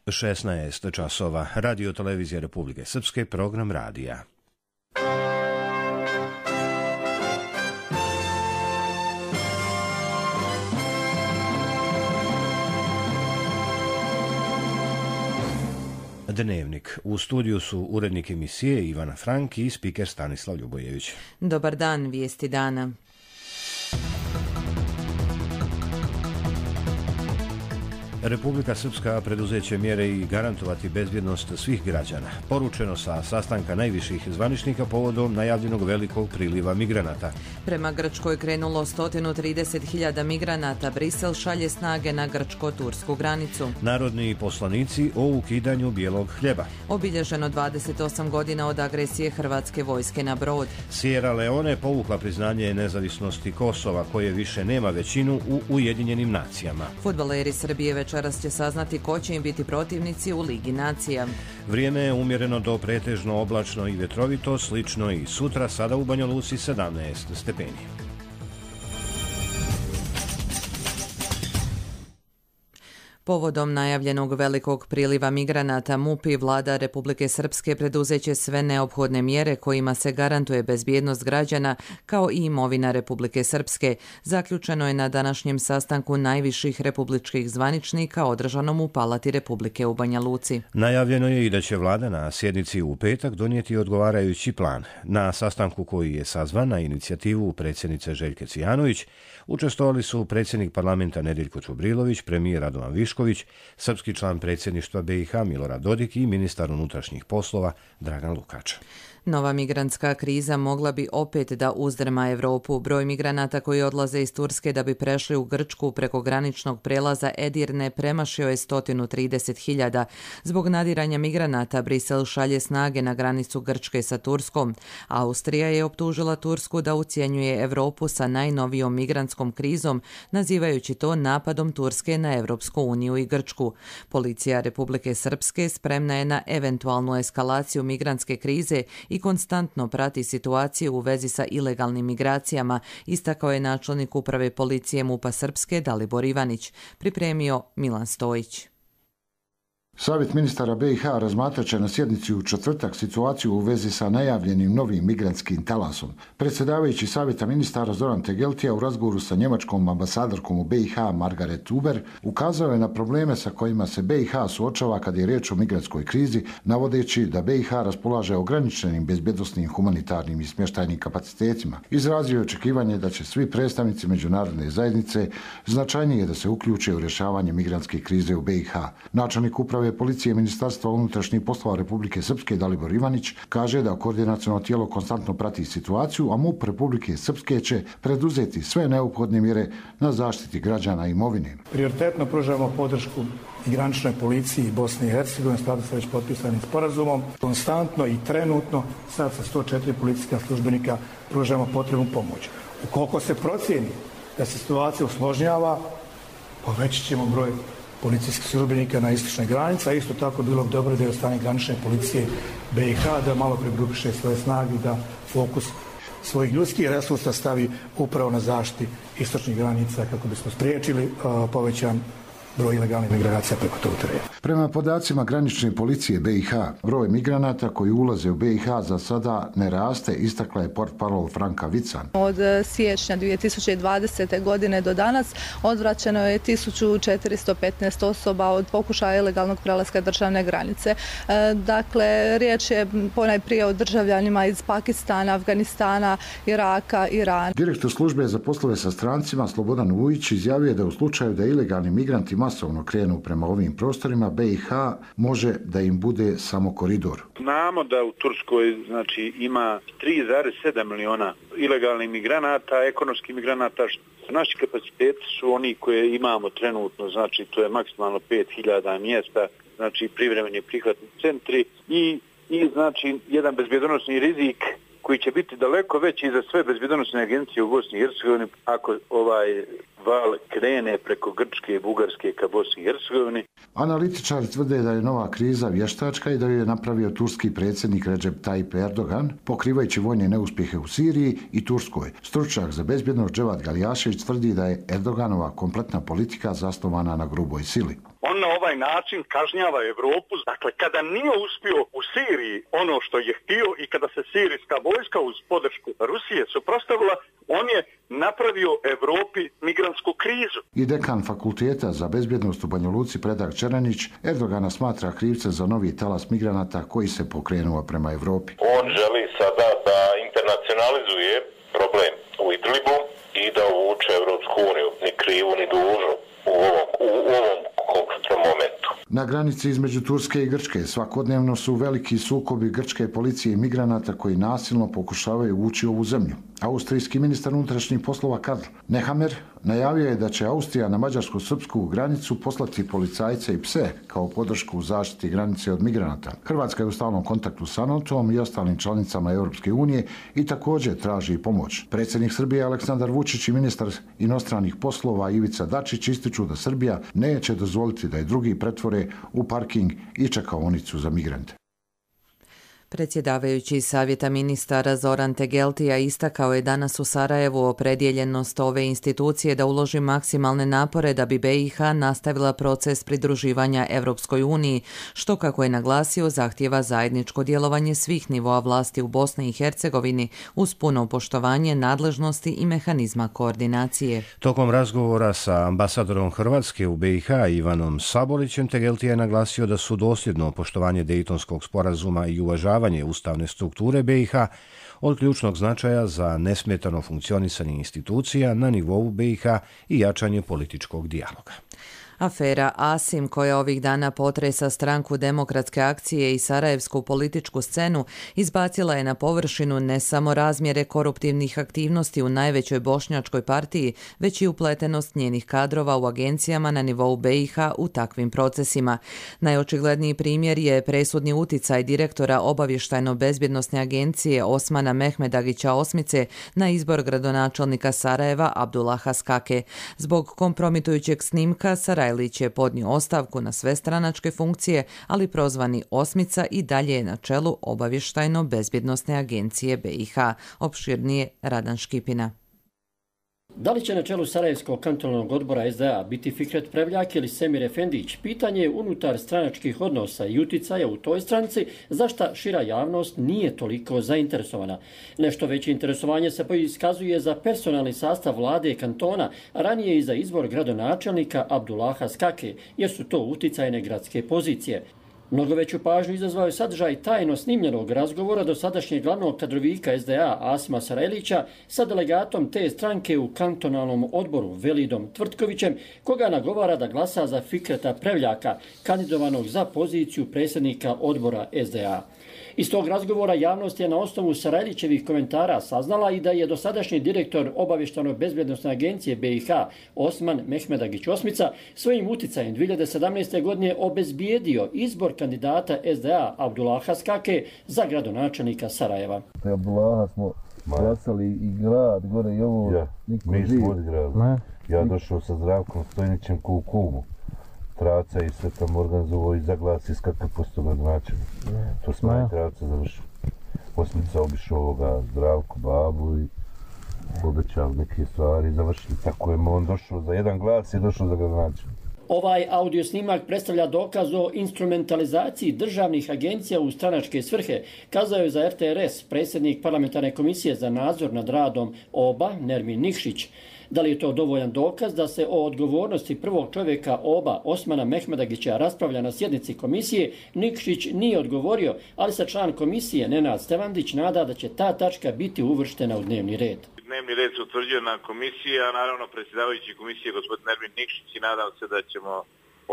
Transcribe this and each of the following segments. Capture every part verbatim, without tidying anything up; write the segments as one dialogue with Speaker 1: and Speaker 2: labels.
Speaker 1: šesnaest časova. Radio televizija Republike Srpske, program radija. Dnevnik. U studiju su urednik emisije Ivana Frank i spiker Stanislav Ljubojević.
Speaker 2: Dobar dan, vijesti dana.
Speaker 1: Republika Srpska preduzeće mjere i garantovati bezbjednost svih građana. Poručeno sa sastanka najviših zvaničnika povodom najavljenog velikog priliva migranata.
Speaker 2: Prema Grčkoj krenulo sto trideset hiljada migranata. Brisel šalje snage na grčko-tursku granicu.
Speaker 1: Narodni poslanici o ukidanju bijelog hljeba.
Speaker 2: Obilježeno dvadeset osam godina od agresije hrvatske vojske na brod.
Speaker 1: Sierra Leone povukla priznanje nezavisnosti Kosova, koje više nema većinu u Ujedinjenim nacijama.
Speaker 2: Fudbaleri Srbije večeras će saznati ko će im biti protivnici u Ligi nacija.
Speaker 1: Vrijeme je umjereno do pretežno oblačno i vjetrovito, slično i sutra, sada u Banja Luci sedamnaest stepeni.
Speaker 2: Povodom najavljenog velikog priliva migranata, MUP i vlada Republike Srpske preduzeće sve neophodne mjere kojima se garantuje bezbjednost građana kao i imovina Republike Srpske. Zaključeno je na današnjem sastanku najviših republičkih zvaničnika održanom u Palati Republike u Banja Luci.
Speaker 1: Najavljeno je i da će vlada na sjednici u petak donijeti odgovarajući plan. Na sastanku koji je sazvan na inicijativu predsjednice Željke Cijanović učestvovali su predsjednik parlamenta Nediljko Čubrilović, premijer Radovan Višković, srpski član predsjedništva B i H Milorad Dodik i ministar unutrašnjih poslova Dragan Lukač.
Speaker 2: Nova migrantska kriza mogla bi opet da uzdrma Evropu. Broj migranata koji odlaze iz Turske da bi prešli u Grčku preko graničnog prelaza Edirne premašio je sto trideset hiljada. Zbog nadiranja migranata Brisel šalje snage na granicu Grčke sa Turskom. Austrija je optužila Tursku da ucjenjuje Evropu sa najnovijom migrantskom krizom, nazivajući to napadom Turske na Evropsku uniju i Grčku. Policija Republike Srpske spremna je na eventualnu eskalaciju migrantske krize i i konstantno prati situaciju u vezi sa ilegalnim migracijama, istakao je načelnik uprave policije MUP-a Srpske Dalibor Ivanić. Pripremio Milan Stojić.
Speaker 3: Savjet ministara B i H razmatrat će na sjednici u četvrtak situaciju u vezi sa najavljenim novim migrantskim talasom. Predsjedavajući Savjeta ministara Zoran Tegeltija u razgovoru sa njemačkom ambasadorkom u B i H Margaret Huber ukazao je na probleme sa kojima se B i H suočava kad je riječ o migrantskoj krizi, navodeći da B i H raspolaže ograničenim bezbjednosnim, humanitarnim i smještajnim kapacitetima. Izrazio je očekivanje da će svi predstavnici međunarodne zajednice značajnije da se uključe u rješavanje migrantske krize u B i H. Načelnik uprave policije Ministarstva unutrašnjih poslova Republike Srpske Dalibor Ivanić kaže da koordinaciono tijelo konstantno prati situaciju, a MUP Republike Srpske će preduzeti sve neophodne mjere na zaštiti građana i imovine.
Speaker 4: Prioritetno pružamo podršku i graničnoj policiji Bosne i Hercegovine, skladu sa već potpisanim sporazumom. Konstantno i trenutno sad sa sto četiri policijska službenika pružamo potrebnu pomoć. Ukoliko se procijeni da se situacija usložnjava, povećat ćemo broj policijskih službenika na istočnoj granici, a isto tako bilo bi dobro da je od strane granične policije B i H da malo pregrupiše svoje snage i da fokus svojih ljudskih resursa stavi upravo na zaštiti istočnih granica kako bismo spriječili uh, povećan broj ilegalnih migracija preko tog terena.
Speaker 3: Prema podacima granične policije B i H, broj migranata koji ulaze u B i H za sada ne raste, istakla je portparol Franka Vican.
Speaker 5: Od siječnja dvije tisuće dvadesete. godine do danas odvraćeno je tisuću četiristo petnaest osoba od pokušaja ilegalnog prelaska državne granice. Dakle, riječ je ponajprije o državljanima iz Pakistana, Afganistana, Iraka, Irana.
Speaker 3: Direktor službe za poslove sa strancima Slobodan Vujić izjavio da u slučaju da ilegalni migranti masovno krenu prema ovim prostorima, B i H može da im bude samo koridor.
Speaker 6: Znamo da u Turskoj znači ima tri zarez sedam miliona ilegalnih migranata, ekonomskih migranata. Naši kapaciteti su oni koje imamo trenutno, znači to je maksimalno pet hiljada mjesta, znači privremeni prihvatni centri i, i znači jedan bezbjednosni rizik koji će biti daleko veći za sve bezbjednosne agencije u Bosni i Hercegovini ako ovaj val krene preko Grčke i Bugarske ka Bosni i Hercegovini.
Speaker 3: Analitičari tvrde da je nova kriza vještačka i da ju je napravio turski predsjednik Recep Tayyip Erdogan, pokrivajući vojne neuspjehe u Siriji i Turskoj. Stručnjak za bezbjednost Dževad Galijašević tvrdi da je Erdoganova kompletna politika zasnovana na gruboj sili.
Speaker 7: On na ovaj način kažnjava Evropu. Dakle, kada nije uspio u Siriji ono što je htio i kada se sirijska vojska uz podršku Rusije suprotstavila, on je napravio Evropi migrantsku krizu.
Speaker 3: I dekan fakulteta za bezbjednost u Banja Luci Predrag Čeranić Erdogana smatra krivce za novi talas migranata koji se pokrenuo prema Evropi.
Speaker 8: On želi sada da internacionalizuje problem u Idlibu i da uvuče Evropsku uniju, ni krivu ni dužnu u ovom, u ovom konkretnom momentu.
Speaker 3: Na granici između Turske i Grčke svakodnevno su veliki sukobi grčke policije i migranata koji nasilno pokušavaju ući u ovu zemlju. Austrijski ministar unutrašnjih poslova Karl Nehammer najavio je da će Austrija na mađarsko-srpsku granicu poslati policajce i pse kao podršku u zaštiti granice od migranata. Hrvatska je u stalnom kontaktu sa NATO-om i ostalim članicama Europske unije i također traži pomoć. Predsjednik Srbije Aleksandar Vučić i ministar inostranih poslova Ivica Dačić ističu da Srbija neće dozvoliti da je drugi pretvore u parking i čekaonicu za migrante.
Speaker 2: Predsjedavajući Savjeta ministara Zoran Tegeltija istakao je danas u Sarajevu opredjeljenost ove institucije da uloži maksimalne napore da bi B i H nastavila proces pridruživanja Europskoj uniji, što, kako je naglasio, zahtjeva zajedničko djelovanje svih nivoa vlasti u Bosni i Hercegovini uz puno poštovanje nadležnosti i mehanizma koordinacije.
Speaker 1: Tokom razgovora sa ambasadorom Hrvatske u B i H Ivanom Sabolićem Tegeltija je naglasio da su dosljedno poštovanje Dejtonskog sporazuma i uvažavanje ustavne strukture B i H od ključnog značaja za nesmetano funkcionisanje institucija na nivou B i H i jačanje političkog dijaloga.
Speaker 2: Afera Asim, koja ovih dana potresa stranku Demokratske akcije i sarajevsku političku scenu, izbacila je na površinu ne samo razmjere koruptivnih aktivnosti u najvećoj bošnjačkoj partiji, već i upletenost njenih kadrova u agencijama na nivou B i H u takvim procesima. Najočigledniji primjer je presudni uticaj direktora obavještajno-bezbjednosne agencije Osmana Mehmedagića Osmice na izbor gradonačelnika Sarajeva Abdullaha Skake. Zbog kompromitujućeg snimka Sarajeva Sarajlić je podnio ostavku na sve stranačke funkcije, ali prozvani Osmica i dalje je na čelu obavještajno-bezbjednosne agencije B i H. Opširnije Radan Škipina.
Speaker 9: Da li će na čelu Sarajevskog kantonalnog odbora S D A biti Fikret Prevljak ili Semir Efendić, pitanje je unutar stranačkih odnosa i uticaja u toj stranci, za šta šira javnost nije toliko zainteresovana. Nešto veće interesovanje se iskazuje za personalni sastav vlade kantona, a ranije i za izbor gradonačelnika Abdullaha Skake, jer su to uticajne gradske pozicije. Mnogo veću pažnju izazvao je sadržaj tajno snimljenog razgovora dosadašnjeg glavnog kadrovika S D A Asima Sarajlića sa delegatom te stranke u kantonalnom odboru Velidom Tvrtkovićem, koga nagovara da glasa za Fikreta Prevljaka, kandidovanog za poziciju predsjednika odbora S D A. Iz tog razgovora javnost je na osnovu Sarajlićevih komentara saznala i da je dosadašnji direktor obavještajno-bezbjednosne agencije B i H Osman Mehmedagić Osmica svojim uticajem dvije hiljade sedamnaeste. godine obezbijedio izbor kandidata S D A Abdullaha Skake za gradonačelnika Sarajeva.
Speaker 10: Abdullaha smo glasali i grad, gore i ovo.
Speaker 11: Ja, mi smo odigrali. Ja došao sa Zdravkom Stojnićem ku Kubu. Traca i sve tamo organizovao i zaglasi skakav posto gradonačelnik. To smo i Traca završili. Osmica obišao ovoga Zdravku, babu i obećali neke stvari i završili. Tako je on došao za jedan glas i došao za gradonačelnik.
Speaker 9: Ovaj audio snimak predstavlja dokaz o instrumentalizaciji državnih agencija u stranačke svrhe, kazao je za R T R S predsjednik parlamentarne komisije za nadzor nad radom O B A Nermin Nikšić. Da li je to dovoljan dokaz da se o odgovornosti prvog čovjeka O B A Osmana Mehmedagića raspravlja na sjednici komisije, Nikšić nije odgovorio, ali se član komisije Nenad Stevandić nada da će ta tačka biti uvrštena u dnevni red.
Speaker 6: Dnevni red se utvrđuje na komisiji, a naravno predsjedavajući komisije gospodin Nermin Nikšić i nadam se da ćemo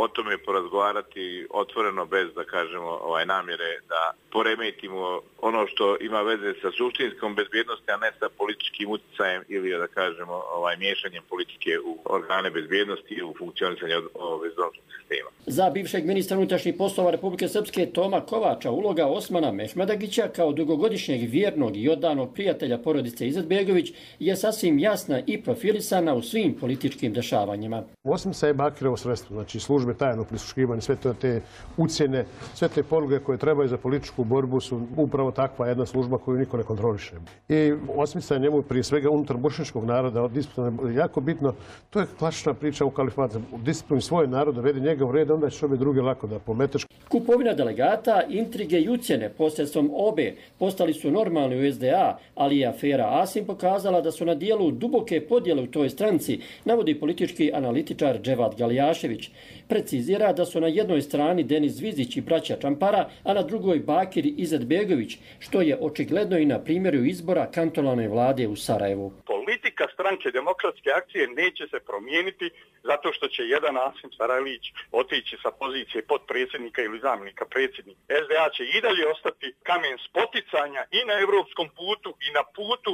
Speaker 6: o tome porazgovarati otvoreno bez da kažemo ovaj namjere da poremetimo ono što ima veze sa suštinskom bezbjednosti, a ne sa političkim uticajem ili da kažemo ovaj miješanjem politike u organe bezbjednosti i u funkcionisanje bezbjednosnog sistema.
Speaker 9: Za bivšeg ministra unutrašnjih poslova Republike Srpske Toma Kovača uloga Osmana Mehmedagića kao dugogodišnjeg vjernog i oddanog prijatelja porodice Izetbegović je sasvim jasna i profilisana u svim političkim dešavanjima.
Speaker 12: Osmica je Bakirov sredstvo, znači služi službe tajnog prisluškivanja, sve to te ucjene, sve te poluge koje trebaju za političku borbu su upravo takva jedna služba koju niko ne kontroliše. I osmica njemu prije svega unutar bošnjačkog naroda, disciplina je jako bitno. To je klasična priča u kalifatu. Disciplin svoje naroda, vedi njega u red, onda će obe druge lako da pometeš.
Speaker 9: Kupovina delegata, intrige i ucjene posredstvom obe postali su normalni u S D A, ali je afera Asim pokazala da su na dijelu duboke podjele u toj stranci, navodi politički analitičar Dževad Galijašević. Precizira da su na jednoj strani Denis Zvizdić i braća Čampara, a na drugoj Bakir Izetbegović, što je očigledno i na primjeru izbora kantonalne vlade u Sarajevu.
Speaker 7: Politika stranke Demokratske akcije neće se promijeniti zato što će jedan Asim Sarajlić otići sa pozicije potpredsjednika ili zamjenika predsjednika. S D A će i dalje ostati kamen spoticanja i na europskom putu i na putu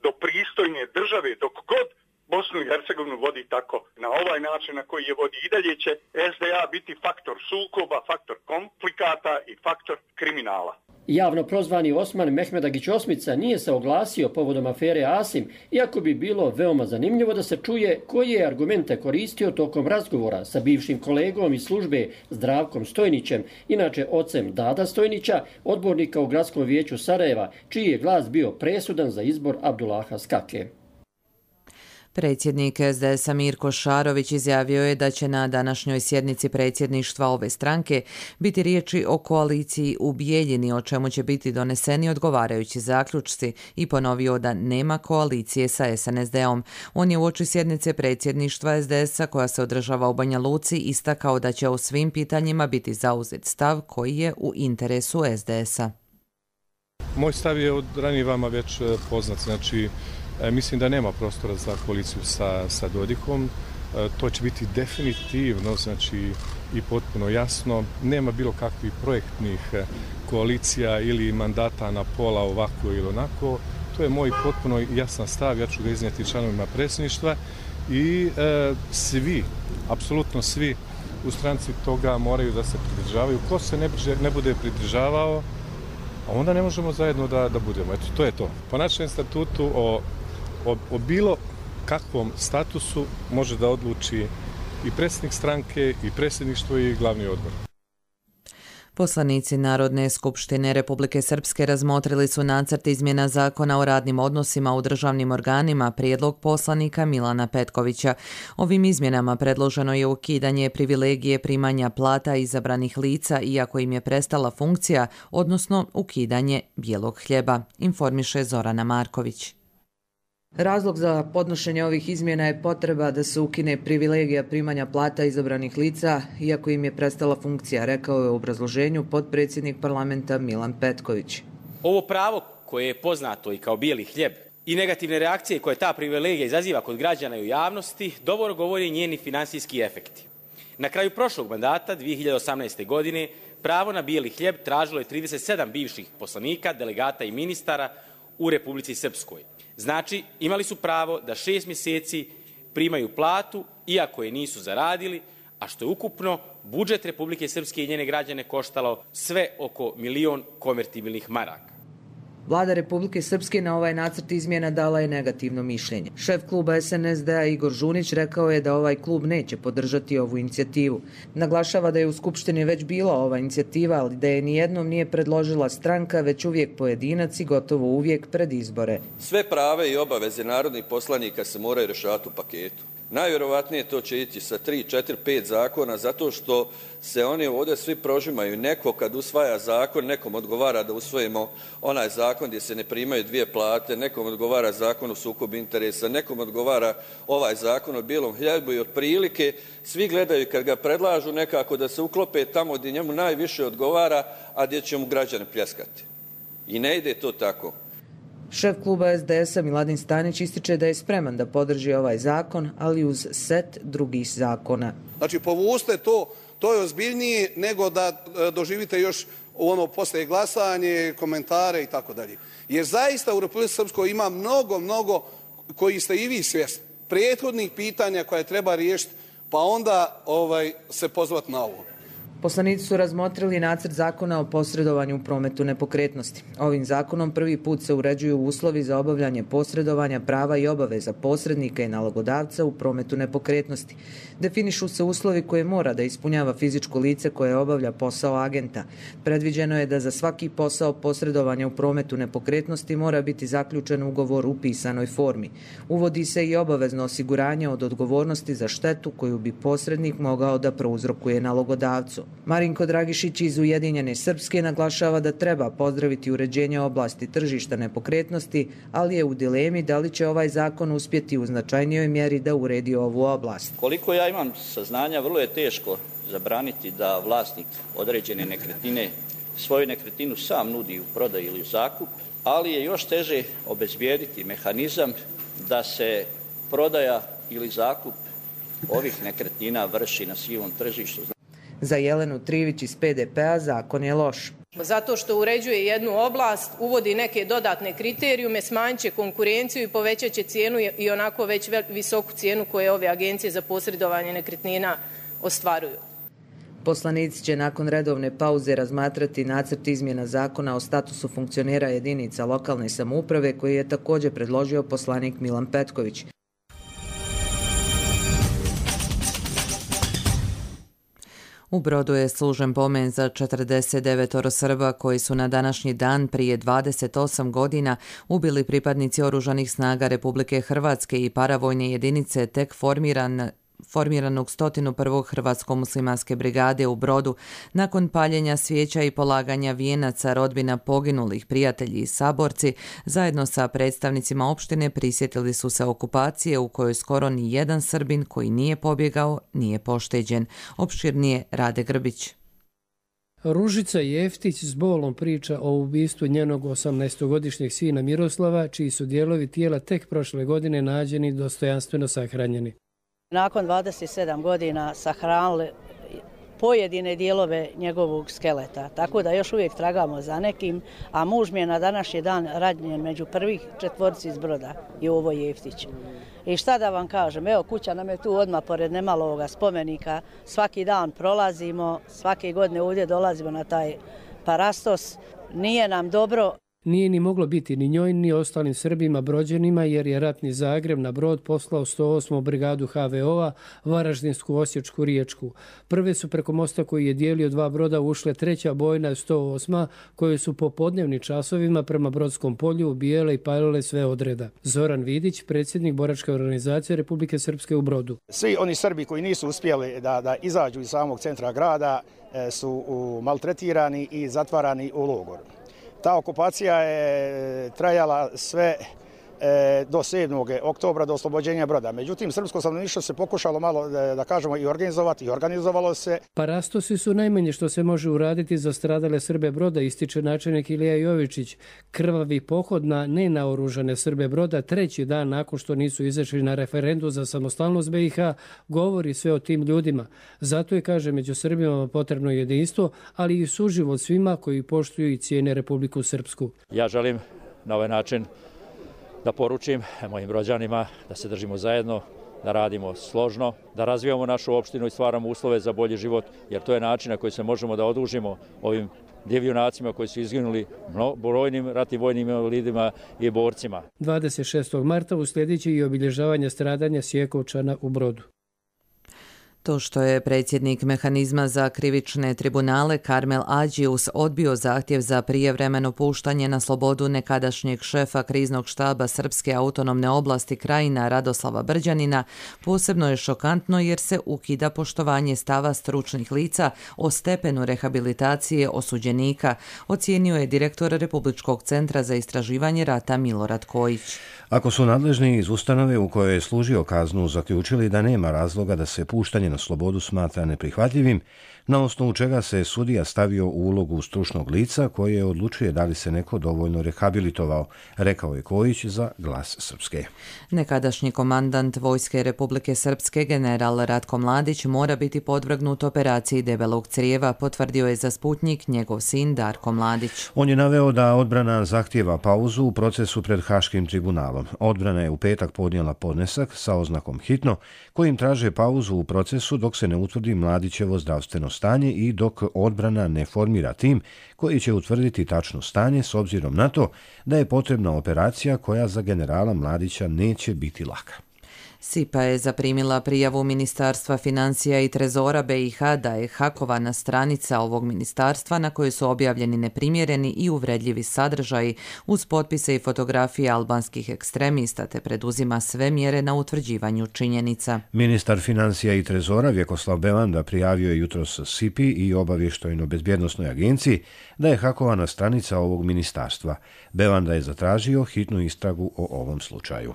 Speaker 7: do pristojne države, dok god Bosnu i Hercegovinu vodi tako na ovaj način na koji je vodi. I dalje će S D A biti faktor sukoba, faktor konflikata i faktor kriminala.
Speaker 9: Javno prozvani Osman Mehmedagić Osmica nije se oglasio povodom afere Asim, iako bi bilo veoma zanimljivo da se čuje koji je argumente koristio tokom razgovora sa bivšim kolegom iz službe Zdravkom Stojnićem, inače ocem Dada Stojnića, odbornika u Gradskom vijeću Sarajeva, čiji je glas bio presudan za izbor Abdullaha Skake.
Speaker 2: Predsjednik S D S-a Mirko Šarović izjavio je da će na današnjoj sjednici predsjedništva ove stranke biti riječi o koaliciji u Bijeljini, o čemu će biti doneseni odgovarajući zaključci, i ponovio da nema koalicije sa S N S D-om. On je uoči sjednice predsjedništva S D S-a koja se održava u Banja Luci istakao da će o svim pitanjima biti zauzet stav koji je u interesu S D S-a.
Speaker 13: Moj stav je od ranije vama već poznat, znači mislim da nema prostora za koaliciju sa, sa Dodikom. To će biti definitivno, znači i potpuno jasno. Nema bilo kakvih projektnih koalicija ili mandata na pola ovako ili onako. To je moj potpuno jasan stav, ja ću ga iznijeti članovima predsjedništva i e, svi, apsolutno svi u stranci toga moraju da se pridržavaju. Ko se ne, ne bude pridržavao, onda ne možemo zajedno da, da budemo. Eto, to je to. Po našem statutu o O, o bilo kakvom statusu može da odluči i predsjednik stranke, i predsjedništvo, i glavni odbor.
Speaker 2: Poslanici Narodne skupštine Republike Srpske razmotrili su nacrt izmjena zakona o radnim odnosima u državnim organima, prijedlog poslanika Milana Petkovića. Ovim izmjenama predloženo je ukidanje privilegije primanja plata izabranih lica iako im je prestala funkcija, odnosno ukidanje bijelog hljeba, informiše Zorana Marković.
Speaker 14: Razlog za podnošenje ovih izmjena je potreba da se ukine privilegija primanja plata izabranih lica, iako im je prestala funkcija, rekao je u obrazloženju potpredsjednik parlamenta Milan Petković.
Speaker 15: Ovo pravo koje je poznato i kao bijeli hljeb i negativne reakcije koje ta privilegija izaziva kod građana i u javnosti, dovoljno govori njeni finansijski efekti. Na kraju prošlog mandata, dvije hiljade osamnaeste. godine, pravo na bijeli hljeb tražilo je trideset sedam bivših poslanika, delegata i ministara u Republici Srpskoj. Znači, imali su pravo da šest mjeseci primaju platu, iako je nisu zaradili, a što je ukupno budžet Republike Srpske i njene građane koštalo sve oko milion konvertibilnih maraka.
Speaker 14: Vlada Republike Srpske na ovaj nacrt izmjena dala je negativno mišljenje. Šef kluba S N S D-a Igor Žunić rekao je da ovaj klub neće podržati ovu inicijativu. Naglašava da je u Skupštini već bila ova inicijativa, ali da je nijednom nije predložila stranka, već uvijek pojedinac i gotovo uvijek pred izbore.
Speaker 16: Sve prave i obaveze narodnih poslanika se moraju rješavati u paketu. Najvjerovatnije to će ići sa tri, četiri, pet zakona, zato što se oni ovdje svi prožimaju. Neko kad usvaja zakon, nekom odgovara da usvojimo onaj zakon gdje se ne primaju dvije plate, nekom odgovara zakon o sukobu interesa, nekom odgovara ovaj zakon o bijelom hljebu i otprilike svi gledaju kad ga predlažu nekako da se uklope tamo gdje njemu najviše odgovara, a gdje će mu građani pljeskati. I ne ide to tako.
Speaker 14: Šef kluba S D S-a Miladin Stanić ističe da je spreman da podrži ovaj zakon, ali uz set drugih zakona.
Speaker 17: Znači, povuste to, to je ozbiljnije nego da doživite još ono poslije glasanje, komentare i tako dalje. Jer zaista u Republici Srpskoj ima mnogo, mnogo, koji ste i vi svjesni, prethodnih pitanja koje treba riješiti, pa onda ovaj, se pozvati na ovo.
Speaker 14: Poslanici su razmotrili nacrt zakona o posredovanju u prometu nepokretnosti. Ovim zakonom prvi put se uređuju uslovi za obavljanje posredovanja, prava i obaveza posrednika i nalogodavca u prometu nepokretnosti. Definišu se uslovi koje mora da ispunjava fizičko lice koje obavlja posao agenta. Predviđeno je da za svaki posao posredovanja u prometu nepokretnosti mora biti zaključen ugovor u pisanoj formi. Uvodi se i obavezno osiguranje od odgovornosti za štetu koju bi posrednik mogao da prouzrokuje nalogodavcu. Marinko Dragišić iz Ujedinjene Srpske naglašava da treba pozdraviti uređenje oblasti tržišta nepokretnosti, ali je u dilemi da li će ovaj zakon uspjeti u značajnijoj mjeri da uredi ovu oblast.
Speaker 18: Koliko ja imam saznanja, vrlo je teško zabraniti da vlasnik određene nekretnine svoju nekretninu sam nudi u prodaju ili u zakup, ali je još teže obezbijediti mehanizam da se prodaja ili zakup ovih nekretnina vrši na sivom tržištu.
Speaker 14: Za Jelenu Trivić iz P D P-a zakon je loš.
Speaker 19: Zato što uređuje jednu oblast, uvodi neke dodatne kriterijume, smanjit će konkurenciju i povećat će cijenu i onako već visoku cijenu koje ove agencije za posredovanje nekretnina ostvaruju.
Speaker 14: Poslanici će nakon redovne pauze razmatrati nacrt izmjena zakona o statusu funkcionera jedinica lokalne samouprave koji je također predložio poslanik Milan Petković.
Speaker 2: U Brodu je služen pomen za četrdeset devet Srba koji su na današnji dan prije dvadeset osam godina ubili pripadnici oružanih snaga Republike Hrvatske i paravojne jedinice tek formiran formiranog sto prvog Hrvatsko-muslimanske brigade u Brodu nakon paljenja svijeća i polaganja vijenaca rodbina poginulih, prijatelji i saborci zajedno sa predstavnicima opštine prisjetili su se okupacije u kojoj skoro ni jedan Srbin koji nije pobjegao nije pošteđen. Opširnije Rade Grbić.
Speaker 20: Ružica Jeftić s bolom priča o ubistvu njenog osamnaestogodišnjeg sina Miroslava, čiji su dijelovi tijela tek prošle godine nađeni dostojanstveno sahranjeni.
Speaker 21: Nakon dvadeset sedam godina sahranili pojedine dijelove njegovog skeleta, tako da još uvijek tragamo za nekim, a muž mi je na današnji dan ranjen među prvih četvorci iz Broda i Jovo Jeftić. I šta da vam kažem, evo kuća nam je tu odmah pored nemaloga spomenika, svaki dan prolazimo, svake godine ovdje dolazimo na taj parastos, nije nam dobro.
Speaker 20: Nije ni moglo biti ni njoj ni ostalim Srbima Brođanima jer je ratni Zagreb na Brod poslao sto osmu brigadu H V O-a, Varaždinsku, Osječku, Riječku. Prve su preko mosta koji je dijelio dva broda ušle treća bojna sto osma koje su po podnevnim časovima prema Brodskom polju ubijele i palile sve odreda. Zoran Vidić, predsjednik boračke organizacije Republike Srpske u Brodu.
Speaker 22: Svi oni Srbi koji nisu uspjeli da, da izađu iz samog centra grada su maltretirani i zatvarani u logor. Ta okupacija je trajala sve e, do sedmog oktobra, do oslobođenja Broda. Međutim, srpsko stanovništvo se pokušalo malo, da, da kažemo, i organizovati, i organizovalo se.
Speaker 20: Parastosi su najmanje što se može uraditi za stradale Srbe Broda, ističe načelnik Ilija Jovičić. Krvavi pohod na nenaoružane Srbe Broda treći dan nakon što nisu izašli na referendum za samostalnost B i H govori sve o tim ljudima. Zato je, kaže, među Srbima potrebno jedinstvo, ali i suživot svima koji poštuju i cijene Republiku Srpsku.
Speaker 23: Ja želim na ovaj način da poručim mojim Brođanima da se držimo zajedno, da radimo složno, da razvijamo našu opštinu i stvaramo uslove za bolji život, jer to je način na koji se možemo da odužimo ovim divljunacima koji su izginuli brojnim ratnim vojnim invalidima i borcima.
Speaker 20: dvadeset šestog marta uslijedit će i obilježavanje stradanja Sjekovčana u Brodu.
Speaker 2: To što je predsjednik mehanizma za krivične tribunale Karmel Adžius odbio zahtjev za prijevremeno puštanje na slobodu nekadašnjeg šefa kriznog štaba Srpske autonomne oblasti Krajina Radoslava Brđanina, posebno je šokantno jer se ukida poštovanje stava stručnih lica o stepenu rehabilitacije osuđenika, ocijenio je direktor Republičkog centra za istraživanje rata Milorad Kojić.
Speaker 1: Ako su nadležni iz ustanove u kojoj je služio kaznu zaključili da nema razloga da se puštanje na slobodu smatra neprihvatljivim, na osnovu čega se sudija stavio u ulogu stručnog lica koje odlučuje da li se neko dovoljno rehabilitovao, rekao je Kojić za Glas Srpske.
Speaker 2: Nekadašnji komandant Vojske Republike Srpske general Ratko Mladić mora biti podvrgnut operaciji debelog crijeva, potvrdio je za Sputnjik njegov sin Darko Mladić.
Speaker 1: On je naveo da odbrana zahtijeva pauzu u procesu pred Haškim tribunalom. Odbrana je u petak podnijela podnesak sa oznakom hitno, kojim traže pauzu u procesu procesu dok se ne utvrdi Mladićevo zdravstveno stanje i dok odbrana ne formira tim koji će utvrditi tačno stanje s obzirom na to da je potrebna operacija koja za generala Mladića neće biti laka.
Speaker 2: S I P A je zaprimila prijavu Ministarstva financija i trezora B i H da je hakovana stranica ovog ministarstva na kojoj su objavljeni neprimjereni i uvredljivi sadržaji uz potpise i fotografije albanskih ekstremista te preduzima sve mjere na utvrđivanju činjenica.
Speaker 1: Ministar financija i trezora Vjekoslav Bevanda prijavio je jutros S I P I i obavještajno-bezbjednosnoj agenciji da je hakovana stranica ovog ministarstva. Bevanda je zatražio hitnu istragu o ovom slučaju.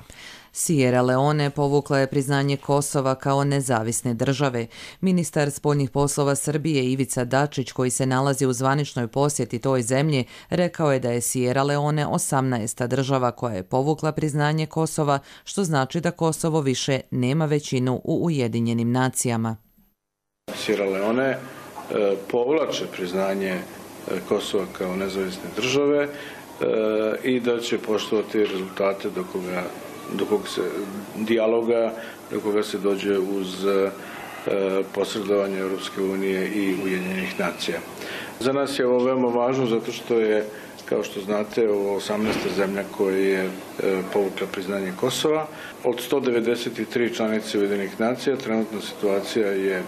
Speaker 2: Sierra Leone povukla je priznanje Kosova kao nezavisne države. Ministar spoljnih poslova Srbije Ivica Dačić, koji se nalazi u zvaničnoj posjeti toj zemlji, rekao je da je Sierra Leone osamnaesta država koja je povukla priznanje Kosova, što znači da Kosovo više nema većinu u Ujedinjenim nacijama.
Speaker 4: Sierra Leone e, povlače priznanje Kosova kao nezavisne države e, i da će poštovati rezultate do koga do kog se dijaloga, do koga se dođe uz e, posredovanje Europske unije i Ujedinjenih nacija. Za nas je ovo veoma važno zato što je, kao što znate, ovo osamnaesta zemlja koja je e, povukla priznanje Kosova. Od sto devedeset tri članice Ujedinjenih nacija trenutna situacija je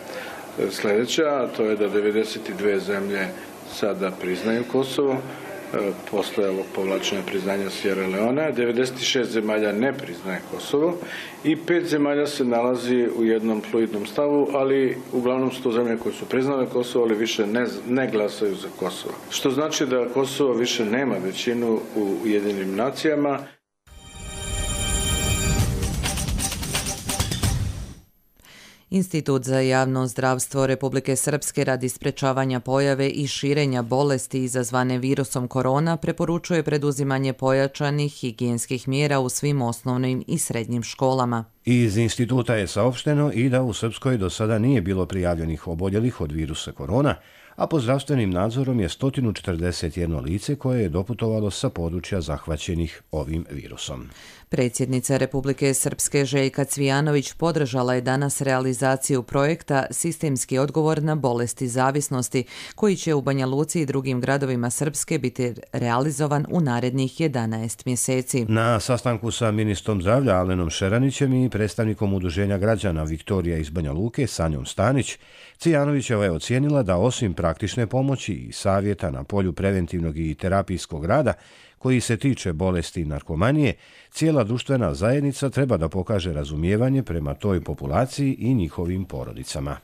Speaker 4: sljedeća, a to je da devedeset dve zemlje sada priznaju Kosovo. Posle ovog povlačenja priznanja Sierra Leone, devedeset šest zemalja ne priznaje Kosovo i pet zemalja se nalazi u jednom fluidnom stavu, ali uglavnom su to zemlje koje su priznale Kosovo, ali više ne, ne glasaju za Kosovo. Što znači da Kosovo više nema većinu u Ujedinjenim nacijama.
Speaker 2: Institut za javno zdravstvo Republike Srpske radi sprečavanja pojave i širenja bolesti izazvane virusom korona preporučuje preduzimanje pojačanih higijenskih mjera u svim osnovnim i srednjim školama.
Speaker 1: Iz instituta je saopšteno i da u Srpskoj do sada nije bilo prijavljenih oboljelih od virusa korona, a pod zdravstvenim nadzorom je sto četrdeset jedno lice koje je doputovalo sa područja zahvaćenih ovim virusom.
Speaker 2: Predsjednica Republike Srpske Željka Cvijanović podržala je danas realizaciju projekta Sistemski odgovor na bolesti zavisnosti, koji će u Banja Luci i drugim gradovima Srpske biti realizovan u narednih jedanaest mjeseci.
Speaker 1: Na sastanku sa ministrom zdravlja Alenom Šeranićem i predstavnikom udruženja građana Viktorija iz Banja Luke Sanjom Stanić, Cvijanovićeva je ocijenila da osim praktične pomoći i savjeta na polju preventivnog i terapijskog rada, koji se tiče bolesti i narkomanije, cijela društvena zajednica treba da pokaže razumijevanje prema toj populaciji i njihovim porodicama.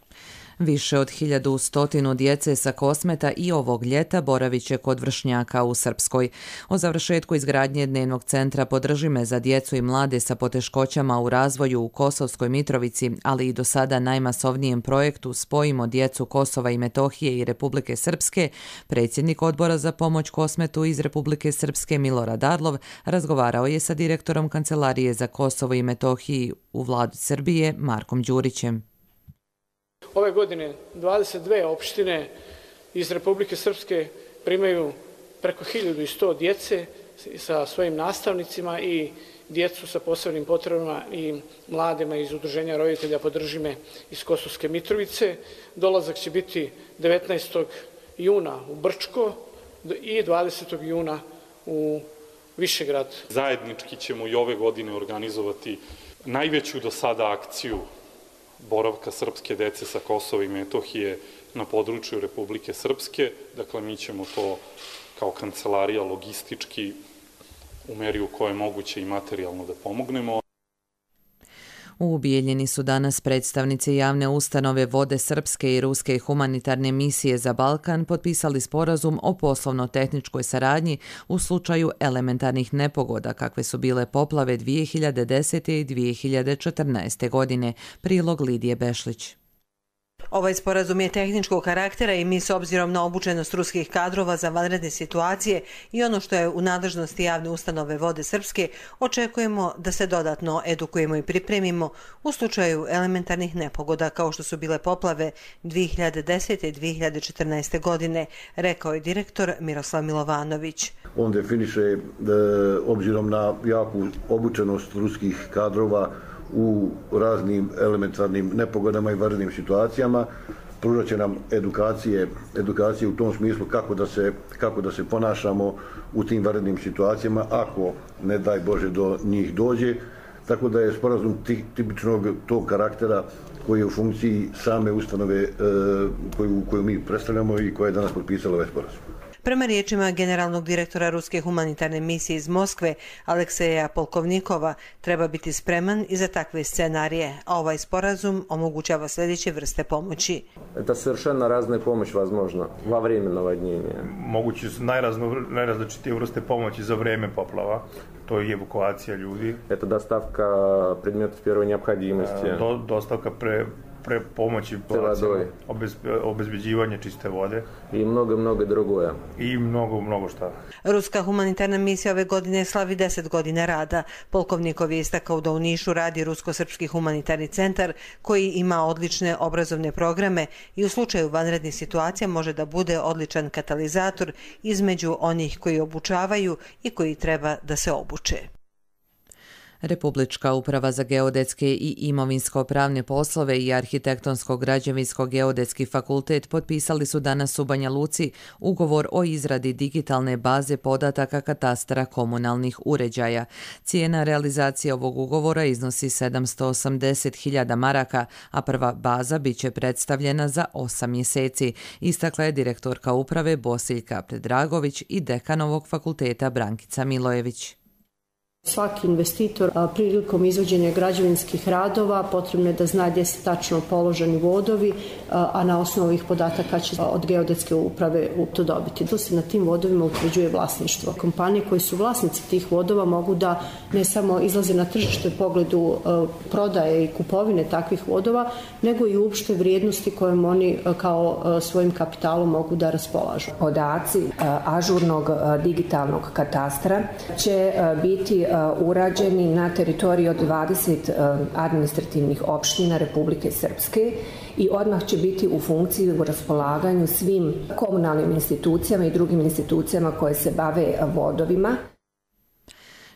Speaker 2: Više od hiljadu stotinu djece sa Kosmeta i ovog ljeta boravit će kod vršnjaka u Srpskoj. O završetku izgradnje dnevnog centra Podrži me za djecu i mlade sa poteškoćama u razvoju u Kosovskoj Mitrovici, ali i do sada najmasovnijem projektu Spojimo djecu Kosova i Metohije i Republike Srpske, predsjednik odbora za pomoć Kosmetu iz Republike Srpske Milorad Arlov razgovarao je sa direktorom Kancelarije za Kosovo i Metohiji u vladi Srbije Markom Đurićem.
Speaker 5: Ove godine dvadeset dve opštine iz Republike Srpske primaju preko hiljadu sto djece sa svojim nastavnicima i djecu sa posebnim potrebama i mladima iz Udruženja roditelja Podrži me iz Kosovske Mitrovice. Dolazak će biti devetnaestog juna u Brčko i dvadesetog juna u Višegrad.
Speaker 8: Zajednički ćemo i ove godine organizovati najveću do sada akciju boravka srpske dece sa Kosova i Metohije na području Republike Srpske. Dakle, mi ćemo to kao kancelarija logistički u meri u kojoj je moguće i materijalno da pomognemo.
Speaker 2: U Bijeljini su danas predstavnici javne ustanove Vode Srpske i Ruske humanitarne misije za Balkan potpisali sporazum o poslovno-tehničkoj saradnji u slučaju elementarnih nepogoda kakve su bile poplave dvije hiljade desete. i dvije hiljade četrnaeste. godine. Prilog Lidije Bešlić.
Speaker 24: Ovaj sporazum je tehničkog karaktera i mi s obzirom na obučenost ruskih kadrova za vanredne situacije i ono što je u nadležnosti javne ustanove Vode Srpske, očekujemo da se dodatno edukujemo i pripremimo u slučaju elementarnih nepogoda kao što su bile poplave dvije hiljade desete. i dvije hiljade četrnaeste. godine, rekao je direktor Miroslav Milovanović.
Speaker 25: On definiše da, obzirom na jaku obučenost ruskih kadrova
Speaker 3: u raznim elementarnim nepogodama i vanrednim situacijama. Pružat će nam edukacije, edukacije u tom smislu kako da se, kako da se ponašamo u tim vanrednim situacijama ako, ne daj Bože, do njih dođe. Tako da je sporazum tipičnog tog karaktera koji je u funkciji same ustanove koju, koju mi predstavljamo i koja je danas potpisala ovaj sporazum.
Speaker 24: Prema riječima generalnog direktora Ruske humanitarne misije iz Moskve, Alekseja Polkovnikova, treba biti spreman i za takve scenarije, a ovaj sporazum omogućava sljedeće vrste pomoći.
Speaker 6: Это совершенно разная помощь возможна во время наводнения.
Speaker 10: Moguće su najrazličitije vrste pomoći za vrijeme poplava. To je evakuacija ljudi.
Speaker 6: Это доставка предметов первой необходимости.
Speaker 10: Do, dostavka pre pre pomoći obez, obezbeđivanje čiste vode
Speaker 6: i mnogo, mnogo drugoje.
Speaker 10: I mnogo, mnogo šta.
Speaker 24: Ruska humanitarna misija ove godine slavi deset godina rada. Polkovnikov je istakao da u Nišu radi Rusko-srpski humanitarni centar koji ima odlične obrazovne programe i u slučaju vanrednih situacija može da bude odličan katalizator između onih koji obučavaju i koji treba da se obuče.
Speaker 2: Republička uprava za geodetske i imovinsko-pravne poslove i Arhitektonsko-građevinsko-geodetski fakultet potpisali su danas u Banja Luci ugovor o izradi digitalne baze podataka katastra komunalnih uređaja. Cijena realizacije ovog ugovora iznosi sedamsto osamdeset hiljada maraka, a prva baza biće predstavljena za osam mjeseci, istakla je direktorka uprave Bosiljka Predragović i dekan ovog fakulteta Brankica Milojević.
Speaker 11: Svaki investitor prilikom izvođenja građevinskih radova potrebno je da zna gdje su tačno položeni vodovi, a na osnovu ovih podataka će od geodetske uprave to dobiti. To se na tim vodovima utvrđuje vlasništvo. Kompanije koji su vlasnici tih vodova mogu da ne samo izlaze na tržište u pogledu prodaje i kupovine takvih vodova, nego i uopšte vrijednosti kojom oni kao svojim kapitalom mogu da raspolažu.
Speaker 25: Podaci ažurnog digitalnog katastra će biti urađeni na teritoriji od dvadeset administrativnih opština Republike Srpske i odmah će biti u funkciji u raspolaganju svim komunalnim institucijama i drugim institucijama koje se bave vodovima.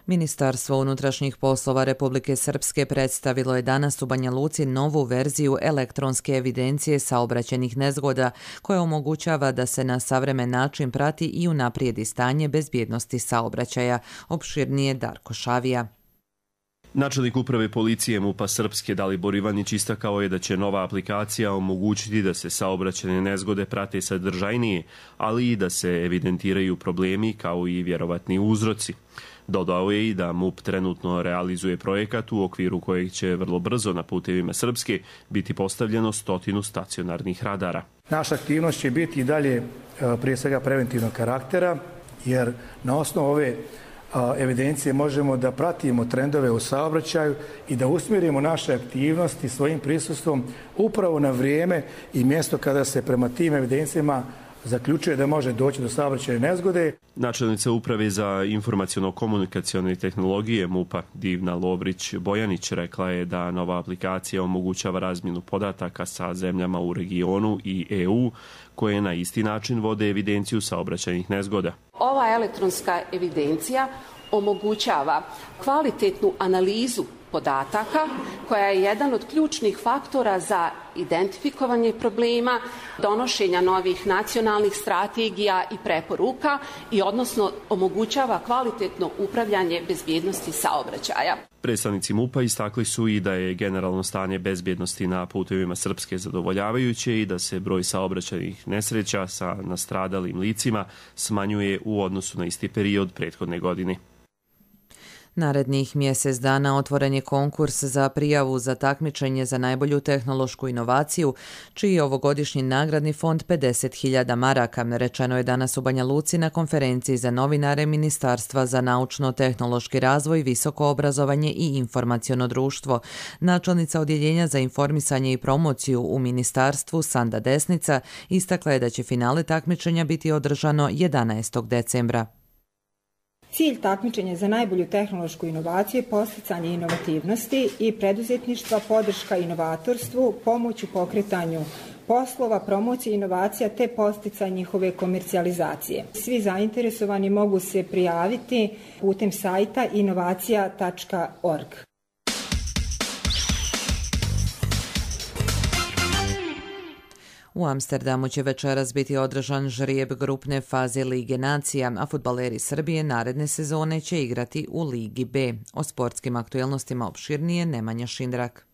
Speaker 2: Ministarstvo unutrašnjih poslova Republike Srpske predstavilo je danas u Banja Luci novu verziju elektronske evidencije saobraćajnih nezgoda koja omogućava da se na savremen način prati i unaprijedi stanje bezbjednosti saobraćaja. Opširnije Darko Šavija.
Speaker 26: Načelnik uprave policije MUP-a Srpske Dalibor Ivanić istakao je da će nova aplikacija omogućiti da se saobraćajne nezgode prate sadržajnije, ali i da se evidentiraju problemi kao i vjerovatni uzroci. Dodao je i da MUP trenutno realizuje projekat u okviru kojeg će vrlo brzo na putevima Srpske biti postavljeno stotinu stacionarnih radara.
Speaker 22: Naša aktivnost će biti i dalje prije svega preventivnog karaktera, jer na osnovu ove evidencije možemo da pratimo trendove u saobraćaju i da usmjerimo naše aktivnosti svojim prisustvom upravo na vrijeme i mjesto kada se prema tim evidencijama zaključuje da može doći do saobraćajne nezgode.
Speaker 26: Načelnica uprave za informaciono-komunikacione tehnologije MUP-a Divna Lovrić-Bojanić rekla je da nova aplikacija omogućava razmjenu podataka sa zemljama u regionu i E U koje na isti način vode evidenciju saobraćajnih nezgoda.
Speaker 27: Ova elektronska evidencija omogućava kvalitetnu analizu podataka koja je jedan od ključnih faktora za identifikovanje problema, donošenja novih nacionalnih strategija i preporuka i odnosno omogućava kvalitetno upravljanje bezbjednosti saobraćaja.
Speaker 26: Predstavnici MUP-a istakli su i da je generalno stanje bezbjednosti na putevima Srpske zadovoljavajuće i da se broj saobraćajnih nesreća sa nastradalim licima smanjuje u odnosu na isti period prethodne godine.
Speaker 2: Narednih mjesec dana otvoren je konkurs za prijavu za takmičenje za najbolju tehnološku inovaciju, čiji je ovogodišnji nagradni fond pedeset hiljada maraka, rečeno je danas u Banja Luci na konferenciji za novinare Ministarstva za naučno-tehnološki razvoj, visoko obrazovanje i informaciono društvo. Načelnica Odjeljenja za informisanje i promociju u Ministarstvu Sanda Desnica istakla je da će finale takmičenja biti održano jedanaestog decembra.
Speaker 28: Cilj takmičenja za najbolju tehnološku inovaciju je podsticanje inovativnosti i preduzetništva, podrška inovatorstvu, pomoć u pokretanju poslova, promocije inovacija te podsticanje njihove komercijalizacije. Svi zainteresovani mogu se prijaviti putem sajta inovacija tačka org.
Speaker 2: U Amsterdamu će večeras biti održan žrijeb grupne faze Lige nacija, a fudbaleri Srbije naredne sezone će igrati u Ligi B. O sportskim aktuelnostima opširnije Nemanja Šindrak.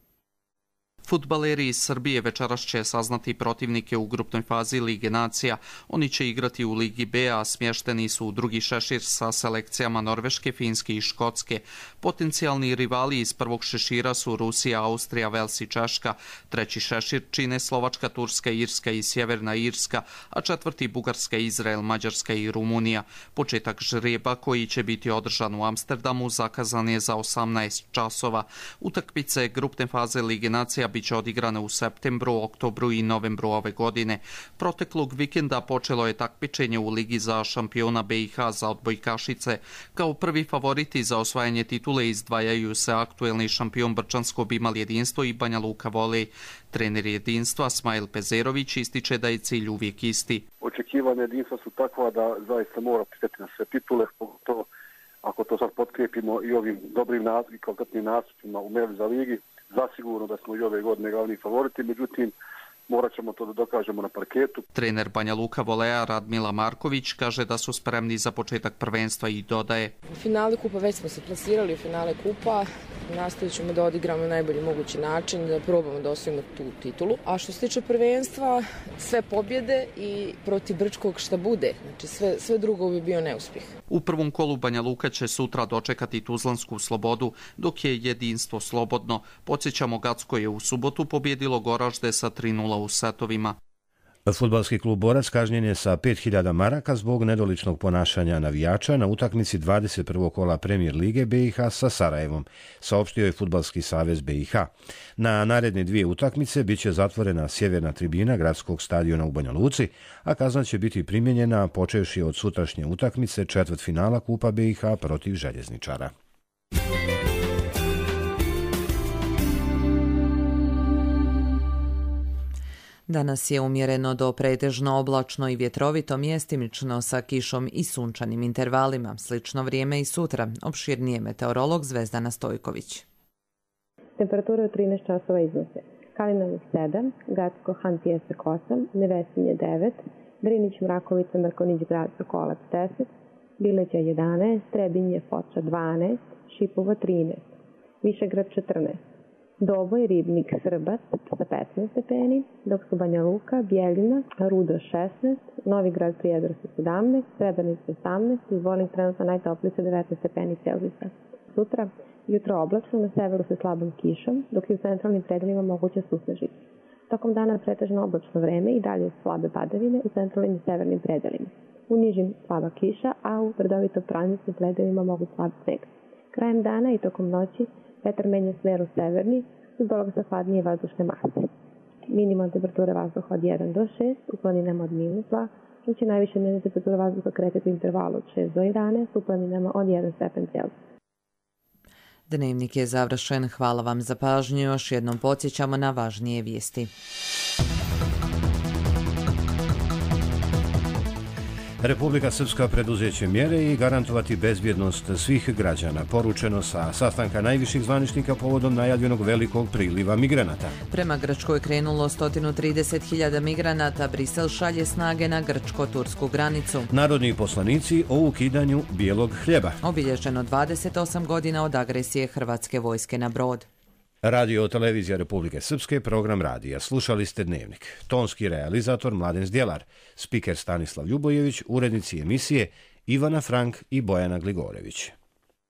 Speaker 7: Fudbaleri iz Srbije večeras će saznati protivnike u grupnoj fazi Lige nacija. Oni će igrati u Ligi B, a smješteni su u drugi šešir sa selekcijama Norveške, Finske i Škotske. Potencijalni rivali iz prvog šešira su Rusija, Austrija, Vels i Češka. Treći šešir čine Slovačka, Turska, Irska i Sjeverna Irska, a četvrti Bugarska, Izrael, Mađarska i Rumunija. Početak žrijeba, koji će biti održan u Amsterdamu, zakazan je za osamnaest časova. Utakmice grupne faze Lige nacija biće odigrane u septembru, oktobru i novembru ove godine. Proteklog vikenda počelo je takmičenje u Ligi za šampiona B i H za odbojkašice. Kao prvi favoriti za osvajanje titule izdvajaju se aktuelni šampion Brčansko Bimal Jedinstvo i Banja Luka Volej. Trener Jedinstva Smajl Pezerović ističe da je cilj uvijek isti.
Speaker 9: Očekivanja Jedinstva su takva da zaista mora pristati na sve titule, pogotovo ako to sad potkrijepimo i ovim dobrim i kvalitetnim nastupima u Meli za ligi. Zasigurno da smo i ove godine glavni favoriti, međutim morat ćemo to da dokažemo na parketu.
Speaker 7: Trener Banja Luka Voleja Radmila Marković kaže da su spremni za početak prvenstva i dodaje:
Speaker 12: U finale kupa već smo se plasirali, u finale kupa nastavit ćemo da odigramo na najbolji mogući način, da probamo da osvojimo tu titulu. A što se tiče prvenstva, sve pobjede i protiv Brčkog šta bude, znači sve, sve drugo bi bio neuspjeh.
Speaker 7: U prvom kolu Banja Luka će sutra dočekati Tuzlansku Slobodu, dok je Jedinstvo slobodno. Podsjećamo, Gacko je u subotu pobjedilo Goražde sa tri nula u setovima.
Speaker 1: Fudbalski klub Borac kažnjen je sa pet hiljada maraka zbog nedoličnog ponašanja navijača na utakmici dvadeset prvog kola Premier lige B i H sa Sarajevom, saopštio je Fudbalski savez B i H. Na naredne dvije utakmice bit će zatvorena sjeverna tribina gradskog stadiona u Banja Luci, a kazna će biti primijenjena počevši od sutrašnje utakmice četvrtfinala Kupa B i H protiv Željezničara.
Speaker 2: Danas je umjereno do pretežno oblačno i vjetrovito, mjestimično sa kišom i sunčanim intervalima. Slično vrijeme i sutra. Opširnije meteorolog Zvezdana Stojković.
Speaker 13: Temperature od trinaest časova iznose: Kalinovac sedam, Gacko Han Pijesak osam, Nevesinje devet, Drinić Mrakovica Mrkonić Grad Sokolac deset, Bileća jedanaest, Trebinje Foča dvanaest, Šipova trinaest, Višegrad četrnaest, Doboj, Ribnik, Srbac sa petnaest stepeni, dok su Banja Luka, Bjeljina, Rudo šesnaest, Novi Grad Prijedor sa sedamnaest, Srebrenica osamnaest i Zvornik trenutno najtopliji sa devetnaest stepeni Celzijusa. Sutra jutro oblačno, na severu sa slabom kišom, dok je u centralnim predelima moguća susnežica. Tokom dana pretežno oblačno vreme i dalje slabe padavine u centralnim i severnim predelima. U nižim slaba kiša, a u brdovito planinskim predelima mogu slab sneg. Krajem dana i tokom noći vetar menja smer u severni, uz dolazak sa hladnije vazdušne mase. Minimalna temperatura vazduha od jedan do šest, u planinama od minus dva, dok će najviše dnevna temperatura vazduha kretati u intervalu od šest do jedanaest, u planinama od jedan stepen Celzijusa.
Speaker 2: Dnevnik je završen. Hvala vam za pažnju. Još jednom podsjećamo na važnije vijesti.
Speaker 1: Republika Srpska preduzeće mjere i garantovati bezbjednost svih građana, poručeno sa sastanka najviših zvaničnika povodom najavljenog velikog priliva migranata.
Speaker 2: Prema Grčkoj krenulo sto trideset hiljada migranata, Brisel šalje snage na grčko-tursku granicu.
Speaker 1: Narodni poslanici o ukidanju bijelog hljeba.
Speaker 2: Obilježeno dvadeset osam godina od agresije Hrvatske vojske na brod.
Speaker 1: Radio televizija Republike Srpske, program radija. Slušali ste Dnevnik. Tonski realizator Mladen Zdjelar, spiker Stanislav Ljubojević, urednici emisije Ivana Frank i Bojana Gligorević.